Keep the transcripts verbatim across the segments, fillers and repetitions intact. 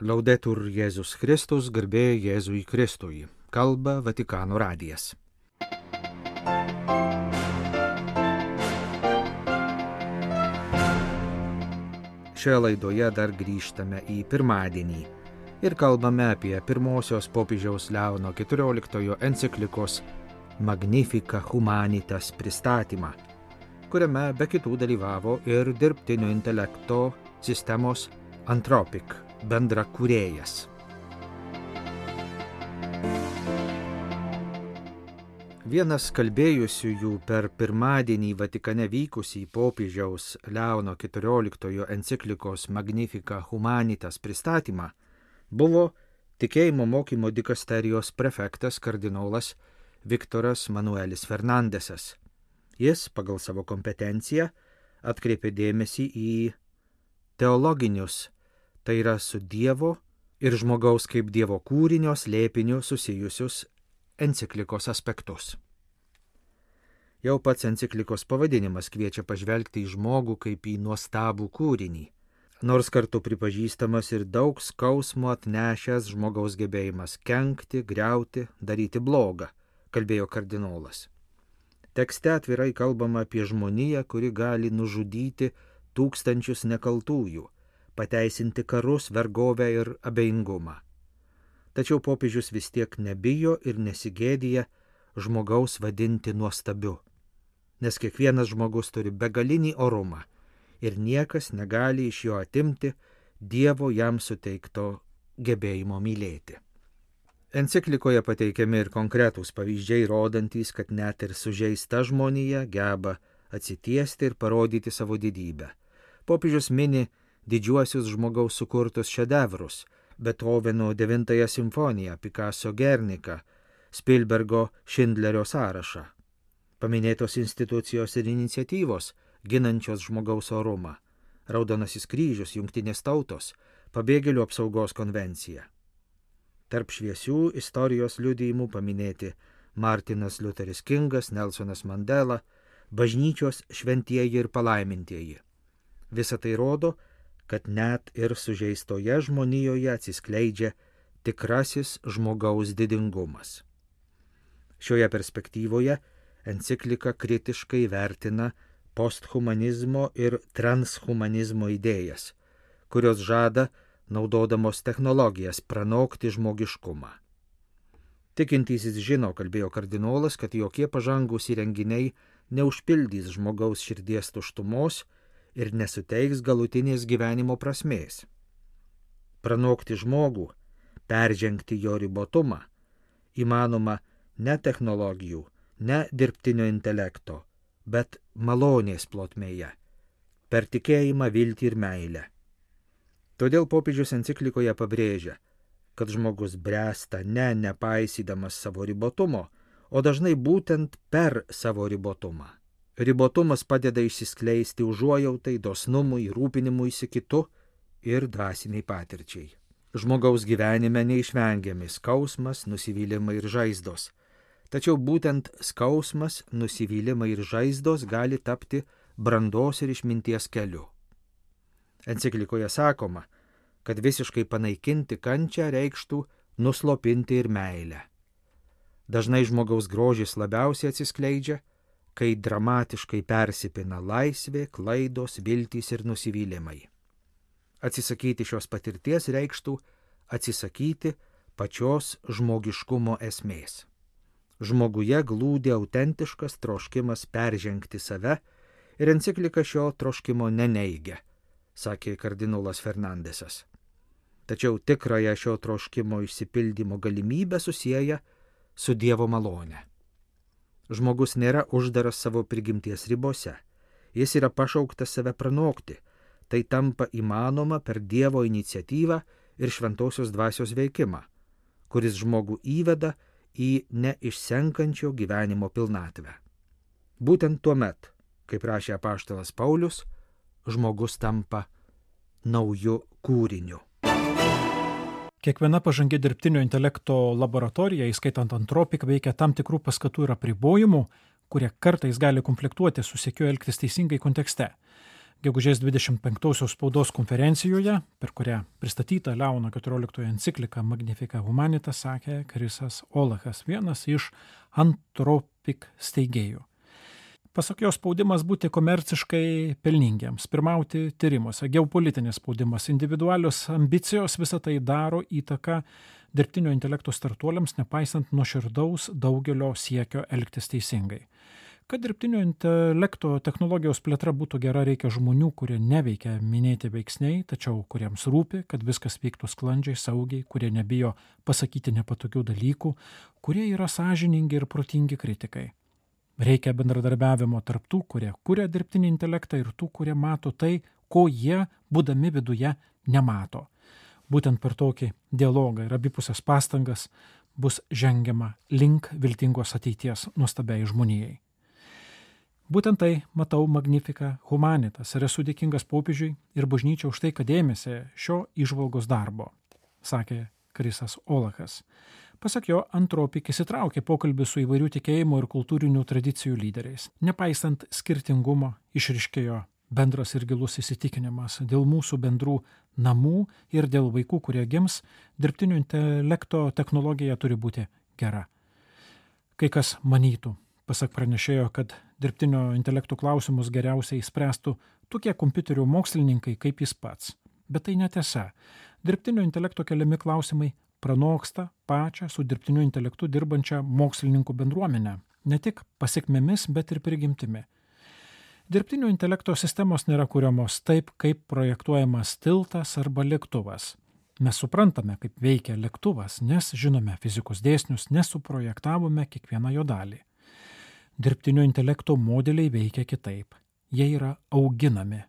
Laudetur Jėzus Kristus, garbė Jėzui Kristui. Kalba Vatikano radijas. Šioje laidoje dar grįžtame į pirmadienį ir kalbame apie pirmosios popiežiaus Leono keturioliktojo enciklikos Magnificat Humanitas pristatymą, kuriame be kitų dalyvavo ir dirbtinio intelekto sistemos Anthropic bendra kūrėjas. Vienas kalbėjusiųjų per pirmadienį Vatikane vykusį popiežiaus Leono keturioliktojo enciklikos Magnificat Humanitas pristatymą buvo tikėjimo mokymo dikasterijos prefektas kardinolas Viktoras Manuelis Fernandesas. Jis pagal savo kompetenciją atkreipė dėmesį į teologinius, tai yra su Dievo ir žmogaus kaip Dievo kūrinio slėpiniu susijusius enciklikos aspektus. Jau pats enciklikos pavadinimas kviečia pažvelgti į žmogų kaip į nuostabų kūrinį, nors kartu pripažįstamas ir daug skausmo atnešęs žmogaus gebėjimas kenkti, griauti, daryti blogą, kalbėjo kardinolas. Tekste atvirai kalbama apie žmoniją, kuri gali nužudyti tūkstančius nekaltųjų, pateisinti karus, vergovę ir abejingumą. Tačiau popiežius vis tiek nebijo ir nesigėdija žmogaus vadinti nuostabiu, nes kiekvienas žmogus turi begalinį orumą ir niekas negali iš jo atimti Dievo jam suteikto gebėjimo mylėti. Enciklikoje pateikiami ir konkretūs pavyzdžiai, rodantys, kad net ir sužeista žmonija geba atsitiesti ir parodyti savo didybę. Popiežius mini didžiuosius žmogaus sukurtus šedevrus, Beethoveno devintąją simfoniją, Picasso Guernica, Spielbergo Šindlerio sąrašą. Paminėtos institucijos ir iniciatyvos, ginančios žmogaus orumą, Raudonasis kryžius, Jungtinės tautos, Pabėgėlių apsaugos konvencija. Tarp šviesių istorijos liudijimų paminėti Martinas Liuteris Kingas, Nelsonas Mandela, bažnyčios šventieji ir palaimintieji. Visa tai rodo, kad net ir sužeistoje žmonijoje atsiskleidžia tikrasis žmogaus didingumas. Šioje perspektyvoje enciklika kritiškai vertina posthumanizmo ir transhumanizmo idėjas, kurios žada, naudodamos technologijas, pranokti žmogiškumą. Tikintysis žino, kalbėjo kardinolas, kad jokie pažangūs įrenginiai neužpildys žmogaus širdies tuštumos ir nesuteiks galutinės gyvenimo prasmės. Pranokti žmogų, peržengti jo ribotumą, įmanoma ne technologijų, ne dirbtinio intelekto, bet malonės plotmėje, per tikėjimą, viltį ir meilę. Todėl popiežius enciklikoje pabrėžia, kad žmogus bręsta ne nepaisydamas savo ribotumo, o dažnai būtent per savo ribotumą. Ribotumas padeda išsiskleisti užuojautai, dosnumui, rūpinimuisi kitu ir dvasiniai patirčiai. Žmogaus gyvenime neišvengiami skausmas, nusivylimai ir žaizdos. Tačiau būtent skausmas, nusivylimai ir žaizdos gali tapti brandos ir išminties keliu. Enciklikoje sakoma, kad visiškai panaikinti kančią reikštų nuslopinti ir meilę. Dažnai žmogaus grožis labiausiai atsiskleidžia, kai dramatiškai persipina laisvė, klaidos, viltys ir nusivylimai. Atsisakyti šios patirties reikštų atsisakyti pačios žmogiškumo esmės. Žmoguje glūdi autentiškas troškimas peržengti save ir enciklika šio troškimo neneigia, sakė kardinolas Fernandesas. Tačiau tikrąją šio troškimo išsipildymo galimybę susieja su Dievo malone. Žmogus nėra uždaras savo prigimties ribose, jis yra pašauktas save pranokti, tai tampa įmanoma per Dievo iniciatyvą ir šventosios dvasios veikimą, kuris žmogų įveda į neišsenkančio gyvenimo pilnatvę. Būtent tuo met, kaip rašė apaštalas Paulius, žmogus tampa nauju kūriniu. Kiekviena pažangi dirbtinio intelekto laboratorija, įskaitant Anthropic, veikia tam tikrų paskatų ir apribojimų, kurie kartais gali konfliktuoti su siekiu elgtis teisingai kontekste. gegužės dvidešimt penktosios spaudos konferencijoje, per kurią pristatyta Leono keturioliktojo enciklika Magnificat Humanitas, sakė Chrisas Olachas, vienas iš Anthropic steigėjų. Pasak jo, spaudimas būti komerciškai pelningiems, pirmauti tyrimuose, geopolitinis spaudimas, individualios ambicijos, visą tai daro įtaką dirbtinio intelekto startuoliams, nepaisant nuoširdaus daugelio siekio elgtis teisingai. Kad dirbtinio intelekto technologijos plėtra būtų gera, reikia žmonių, kurie neveikia minėti veiksniai, tačiau kuriems rūpi, kad viskas vyktų sklandžiai, saugiai, kurie nebijo pasakyti nepatogių dalykų, kurie yra sąžiningi ir protingi kritikai. Reikia bendradarbiavimo tarp tų, kurie kuria dirbtinį intelektą, ir tų, kurie mato tai, ko jie, būdami viduje, nemato. Būtent per tokį dialogą ir abipusės pastangas bus žengiama link viltingos ateities nuostabiai žmonijai. Būtent tai matau Magnificat Humanitas ir esu dėkingas popiežiui ir bažnyčiai už tai, kad ėmėsi šio įžvalgos darbo, sakė Chrisas Olachas. Pasak jo, Anthropic įsitraukė pokalbį su įvairių tikėjimų ir kultūrinių tradicijų lyderiais. Nepaisant skirtingumo, išryškėjo bendras ir gilus įsitikinimas dėl mūsų bendrų namų ir dėl vaikų, kurie gims, dirbtinio intelekto technologija turi būti gera. Kai kas manytų, pasak pranešėjo, kad dirbtinio intelektų klausimus geriausiai spręstų tokie kompiuterių mokslininkai kaip jis pats. Bet tai netiesa. Dirbtinio intelekto keliami klausimai pranoksta pačią su dirbtiniu intelektu dirbančią mokslininkų bendruomenę, ne tik pasiekmėmis, bet ir prigimtimi. Dirbtinio intelekto sistemos nėra kuriamos taip, kaip projektuojamas tiltas arba lėktuvas. Mes suprantame, kaip veikia lėktuvas, nes žinome fizikos dėsnius, nes suprojektavome kiekvieną jo dalį. Dirbtinio intelekto modeliai veikia kitaip. Jie yra auginami.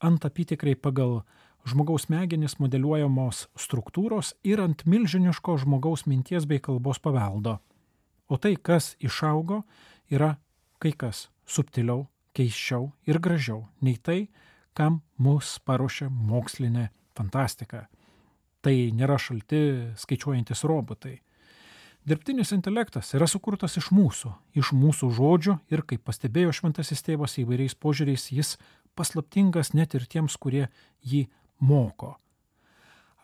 Ant apytikriai pagal žmogaus smegenis modeliuojamos struktūros ir ant milžiniško žmogaus minties bei kalbos paveldo. O tai, kas išaugo, yra kai kas subtiliau, keisčiau ir gražiau nei tai, kam mus paruošia mokslinė fantastika. Tai nėra šalti skaičiuojantis robotai. Dirbtinis intelektas yra sukurtas iš mūsų, iš mūsų žodžių ir, kaip pastebėjo šventasis tėvas įvairiais požiūriais, jis paslaptingas net ir tiems, kurie jį moko.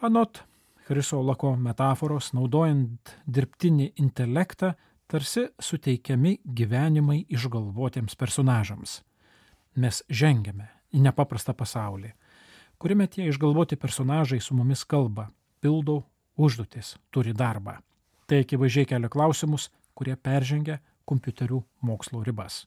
Anot Chriso Olacho metaforos, naudojant dirbtinį intelektą, tarsi suteikiami gyvenimai išgalvotiems personažams. Mes žengiame į nepaprastą pasaulį, kuriame tie išgalvoti personažai su mumis kalba, pildo užduotis, turi darbą. Tai akivaizdžiai kelia klausimus, kurie peržengia kompiuterių mokslo ribas.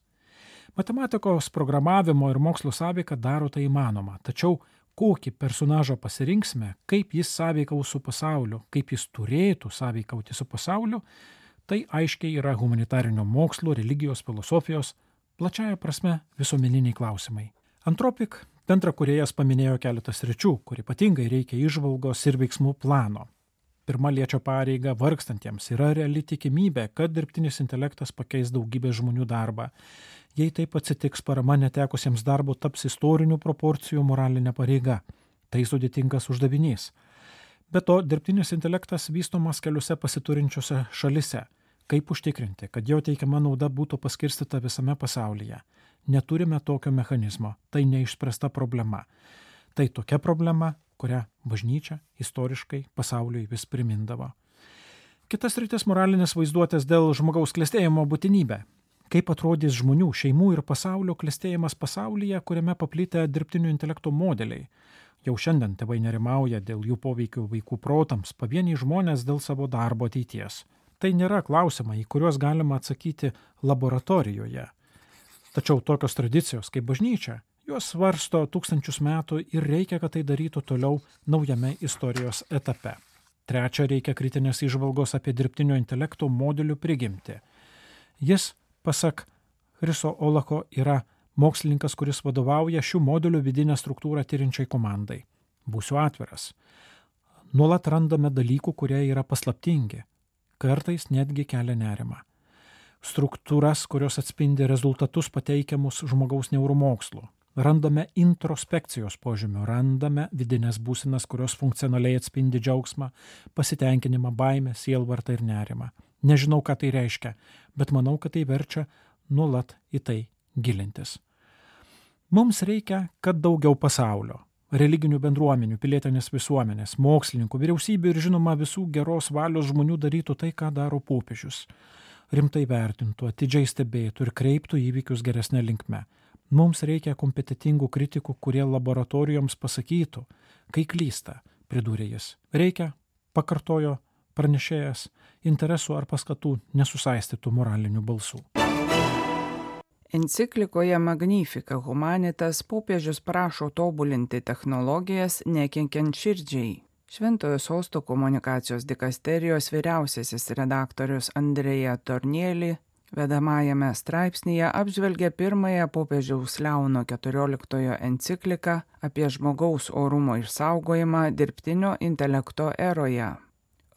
Matematikos programavimo ir mokslo sąveika daro tai įmanoma, tačiau kokį personažą pasirinksime, kaip jis sąveikaus su pasauliu, kaip jis turėtų sąveikauti su pasauliu, tai aiškiai yra humanitarinio mokslo, religijos, filosofijos, plačiaja prasme visuomeniniai klausimai. Anthropic bendrakūrėjas paminėjo keletą sričių, kur ypatingai reikia įžvalgos ir veiksmų plano. Pirma liečia pareigą vargstantiems. Yra reali tikimybė, kad dirbtinis intelektas pakeis daugybę žmonių darbą. Jei taip atsitiks, parama netekusiems darbo taps istorinių proporcijų moralinė pareiga. Tai sudėtingas uždavinys. Be to, dirbtinis intelektas vystomas keliose pasiturinčiose šalise. Kaip užtikrinti, kad jo teikiama nauda būtų paskirstyta visame pasaulyje? Neturime tokio mechanizmo. Tai neišspręsta problema. Tai tokia problema, kurią bažnyčia istoriškai pasauliui vis primindavo. Kitas rytis moralinės vaizduotės dėl žmogaus klestėjimo būtinybė. Kaip atrodys žmonių, šeimų ir pasaulio klestėjimas pasaulyje, kuriame paplitę dirbtinio intelekto modeliai. Jau šiandien tėvai nerimauja dėl jų poveikio vaikų protams, pavieniai žmonės dėl savo darbo ateities. Tai nėra klausimai, į kuriuos galima atsakyti laboratorijoje. Tačiau tokios tradicijos kaip bažnyčia, jos svarsto tūkstančius metų ir reikia, kad tai darytų toliau naujame istorijos etape. Trečia, reikia kritinės įžvalgos apie dirbtinio intelekto modelių prigimtį. Jis, pasak Chriso Olacho, yra mokslininkas, kuris vadovauja šių modelių vidinę struktūrą tyrinčiai komandai. Būsiu atviras. Nuolat randame dalykų, kurie yra paslaptingi. Kartais netgi kelia nerimą. Struktūras, kurios atspindi rezultatus pateikiamus žmogaus neuromokslu. Randame introspekcijos požymių, randame vidinės būsenas, kurios funkcionaliai atspindi džiaugsmą, pasitenkinimą, baimę, sielvartą ir nerimą. Nežinau, ką tai reiškia, bet manau, kad tai verčia nuolat į tai gilintis. Mums reikia, kad daugiau pasaulio, religinių bendruomenių, pilietinės visuomenės, mokslininkų, vyriausybių ir žinoma visų geros valios žmonių darytų tai, ką daro popiežius. Rimtai vertintų, atidžiai stebėtų ir kreiptų įvykius geresnė linkme. Mums reikia kompetitingų kritikų, kurie laboratorijoms pasakytų, kai klysta, pridūrė jis. Reikia, pakartojo pranešėjas, interesų ar paskatų nesusaistytų moralinių balsų. Enciklikoje Magnificat Humanitas popiežius prašo tobulinti technologijas nekenkiant širdžiai. Šventojo sosto komunikacijos dikasterijos vyriausiasis redaktorius Andrea Tornielli vedamajame straipsnyje apžvelgia pirmąją popiežiaus Leono keturioliktojo encikliką apie žmogaus orumo išsaugojimą dirbtinio intelekto eroje.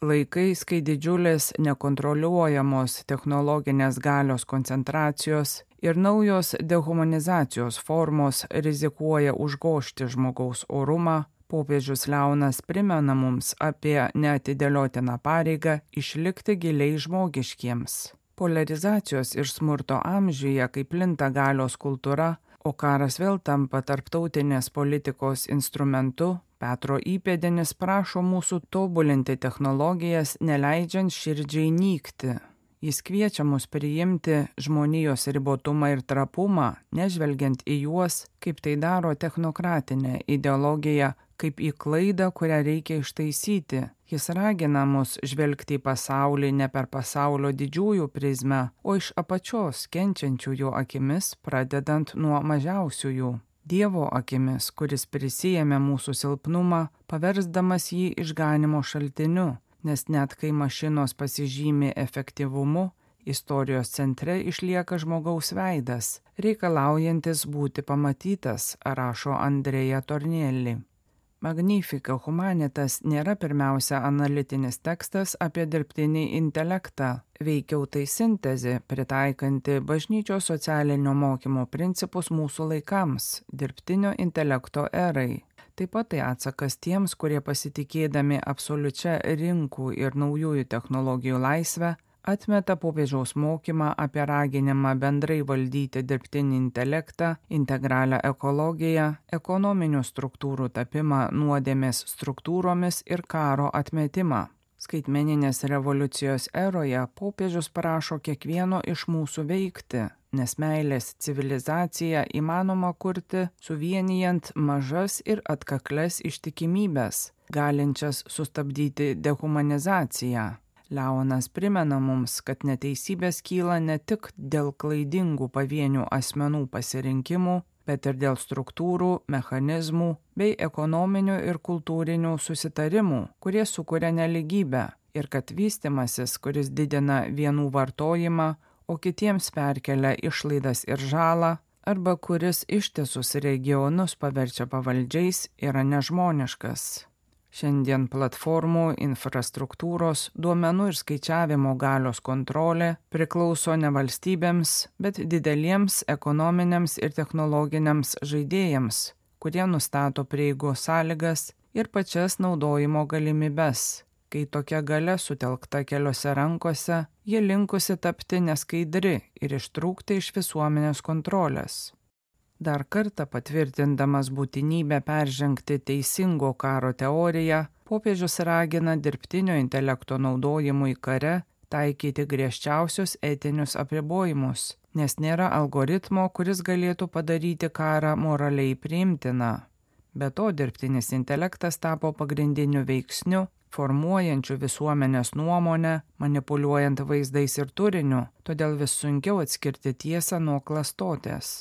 Laikais, kai didžiulės nekontroliuojamos technologinės galios koncentracijos ir naujos dehumanizacijos formos rizikuoja užgožti žmogaus orumą, popiežius Leonas primena mums apie neatidėliotiną pareigą išlikti giliai žmogiškiems. Polarizacijos ir smurto amžiuje, kai plinta galios kultūra, o karas vėl tampa tarptautinės politikos instrumentu, Petro įpėdinis prašo mūsų tobulinti technologijas, neleidžiant širdžiai nykti. Jis kviečia mus priimti žmonijos ribotumą ir trapumą, nežvelgiant į juos, kaip tai daro technokratinė ideologija, kaip į klaidą, kurią reikia ištaisyti. Jis ragina mus žvelgti į pasaulį ne per pasaulio didžiųjų prizmę, o iš apačios kenčiančiųjų akimis, pradedant nuo mažiausiųjų. Dievo akimis, kuris prisijėmė mūsų silpnumą, paversdamas jį išganimo šaltiniu, nes net kai mašinos pasižymi efektyvumu, istorijos centre išlieka žmogaus veidas, reikalaujantis būti pamatytas, rašo Andrea Tornielli. Magnificat Humanitas nėra pirmiausia analitinis tekstas apie dirbtinį intelektą, veikiau tai sintezė, pritaikanti bažnyčios socialinio mokymo principus mūsų laikams, dirbtinio intelekto erai. Taip pat tai atsakas tiems, kurie pasitikėdami absoliučia rinkų ir naujųjų technologijų laisvę, atmeta popiežiaus mokymą apie raginimą bendrai valdyti dirbtinį intelektą, integralią ekologiją, ekonominių struktūrų tapimą nuodėmės struktūromis ir karo atmetimą. Skaitmeninės revoliucijos eroje popiežius prašo kiekvieno iš mūsų veikti, nes meilės civilizaciją įmanoma kurti suvienijant mažas ir atkakles ištikimybes, galinčias sustabdyti dehumanizaciją. Leonas primena mums, kad neteisybės kyla ne tik dėl klaidingų pavienių asmenų pasirinkimų, bet ir dėl struktūrų, mechanizmų bei ekonominių ir kultūrinių susitarimų, kurie sukuria neligybę, ir kad vystimasis, kuris didina vienų vartojimą, o kitiems perkelia išlaidas ir žalą, arba kuris ištisus regionus paverčia pavaldžiais, yra nežmoniškas. Šiandien platformų, infrastruktūros, duomenų ir skaičiavimo galios kontrolė priklauso ne valstybėms, bet dideliems ekonominiams ir technologiniams žaidėjams, kurie nustato prieigos sąlygas ir pačias naudojimo galimybes. Kai tokia galia sutelkta keliose rankose, ji linkusi tapti neskaidri ir ištrūkti iš visuomenės kontrolės. Dar kartą patvirtindamas būtinybę peržengti teisingo karo teoriją, popiežius ragina dirbtinio intelekto naudojimui kare taikyti griežčiausius etinius apribojimus, nes nėra algoritmo, kuris galėtų padaryti karą moraliai priimtiną. Be to, dirbtinis intelektas tapo pagrindiniu veiksniu, formuojančiu visuomenės nuomonę, manipuliuojant vaizdais ir turiniu, todėl vis sunkiau atskirti tiesą nuo klastotės.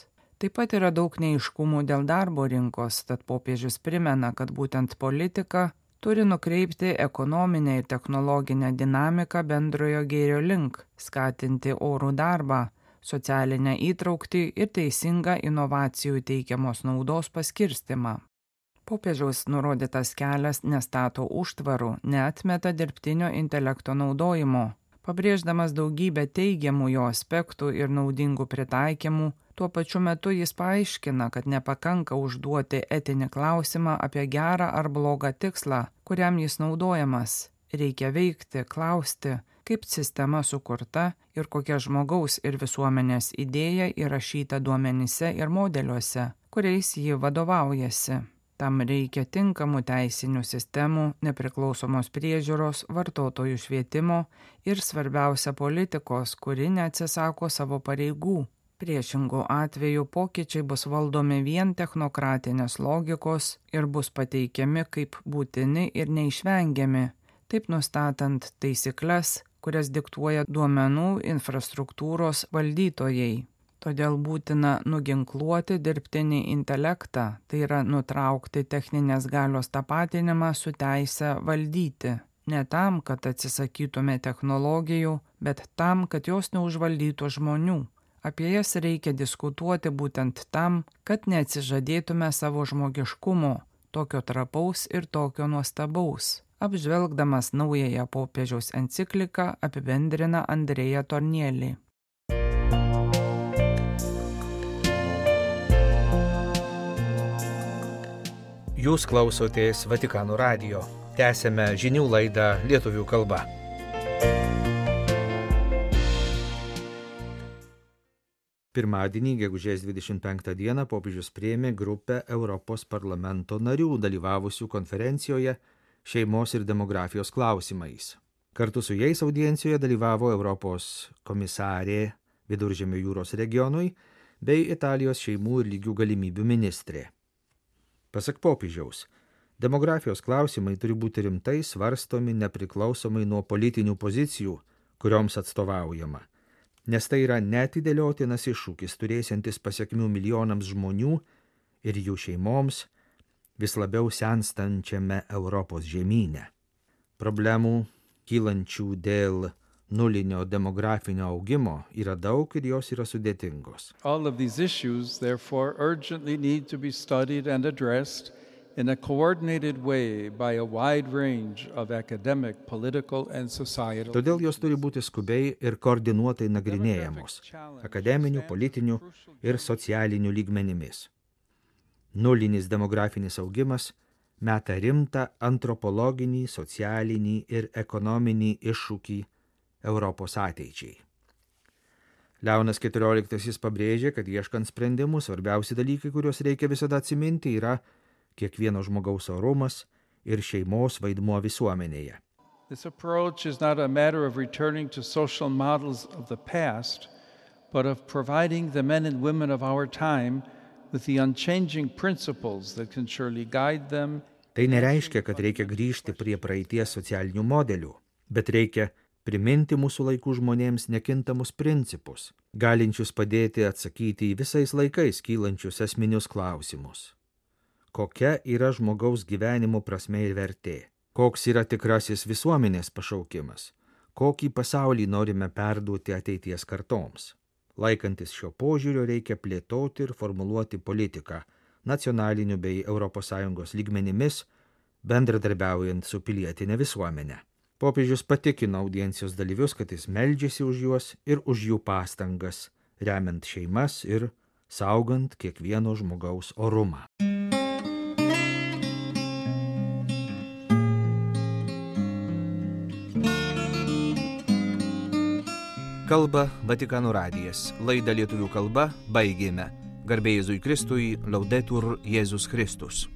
Taip pat yra daug neaiškumų dėl darbo rinkos, tad popiežius primena, kad būtent politika turi nukreipti ekonominę ir technologinę dinamiką bendrojo gėrio link, skatinti orų darbą, socialinę įtrauktį ir teisingą inovacijų teikiamos naudos paskirstimą. Popiežiaus nurodytas kelias nestato užtvarų, neatmeta dirbtinio intelekto naudojimo, pabrėždamas daugybę teigiamų jo aspektų ir naudingų pritaikymų. Tuo pačiu metu jis paaiškina, kad nepakanka užduoti etinį klausimą apie gerą ar blogą tikslą, kuriam jis naudojamas. Reikia veikti, klausti, kaip sistema sukurta ir kokia žmogaus ir visuomenės idėja įrašyta duomenyse ir modeliuose, kuriais ji vadovaujasi. Tam reikia tinkamų teisinių sistemų, nepriklausomos priežiūros, vartotojų švietimo ir svarbiausia politikos, kuri neatsisako savo pareigų. Priešingų atveju pokyčiai bus valdomi vien technokratinės logikos ir bus pateikiami kaip būtini ir neišvengiami, taip nustatant taisykles, kurias diktuoja duomenų infrastruktūros valdytojai. Todėl būtina nuginkluoti dirbtinį intelektą, tai yra nutraukti techninės galios tapatinimą su teise valdyti. Ne tam, kad atsisakytume technologijų, bet tam, kad jos neužvaldytų žmonių. Apie jas reikia diskutuoti būtent tam, kad neatsižadėtume savo žmogiškumo, tokio trapaus ir tokio nuostabaus. Apžvelgdamas naująją popiežiaus encikliką apibendrina Andrea Tornielli. Jūs klausotės Vatikano radijo. Tęsėme žinių laidą lietuvių kalba. Pirmadienį, gegužės dvidešimt penktą dieną, popiežius priėmė grupę Europos parlamento narių dalyvavusių konferencijoje šeimos ir demografijos klausimais. Kartu su jais audiencijoje dalyvavo Europos komisarė Viduržemio jūros regionui bei Italijos šeimų ir lygių galimybių ministrė. Pasak popiežiaus, demografijos klausimai turi būti rimtai svarstomi nepriklausomai nuo politinių pozicijų, kurioms atstovaujama, nes tai yra neatidėliotinas iššūkis turėsiantis pasekmių milijonams žmonių ir jų šeimoms vis labiau senstančiame Europos žemyne. Problemų, kylančių dėl nulinio demografinio augimo, yra daug ir jos yra sudėtingos. All of these issues, therefore, urgently need to be studied and addressed in a coordinated way by a wide range of academic, political and societal. Todėl jos turi būti skubiai ir koordinuotai nagrinėjamos akademinių, politinių ir socialinių lygmenimis. Nulinis demografinis augimas meta rimtą antropologinį, socialinį ir ekonominį iššūkį Europos ateičiai. Leonas keturioliktasis pabrėžė, kad ieškant sprendimų svarbiausi dalykai, kuriuos reikia visada atsiminti, yra kiekvieno žmogaus orumas ir šeimos vaidmuo visuomenėje. This approach is not a matter of returning to social models of the past, but of providing the men and women of our time with the unchanging principles that can surely guide them. Tai nereiškia, kad reikia grįžti prie praeities socialinių modelių, bet reikia priminti mūsų laikų žmonėms nekintamus principus, galinčius padėti atsakyti į visais laikais kylančius esminius klausimus. Kokia yra žmogaus gyvenimo prasmė ir vertė? Koks yra tikrasis visuomenės pašaukimas? Kokį pasaulį norime perduoti ateities kartoms? Laikantis šio požiūrio reikia plėtoti ir formuluoti politiką nacionaliniu bei Europos Sąjungos lygmenimis, bendradarbiaujant su pilietinė visuomenė. Popiežius patikino audiencijos dalyvius, kad jis meldžiasi už juos ir už jų pastangas, remiant šeimas ir saugant kiekvieno žmogaus orumą. Kalba Vatikano radijas. Laidą lietuvių kalba baigėme. Garbė Jėzui Kristui, Laudetur Jėzus Kristus.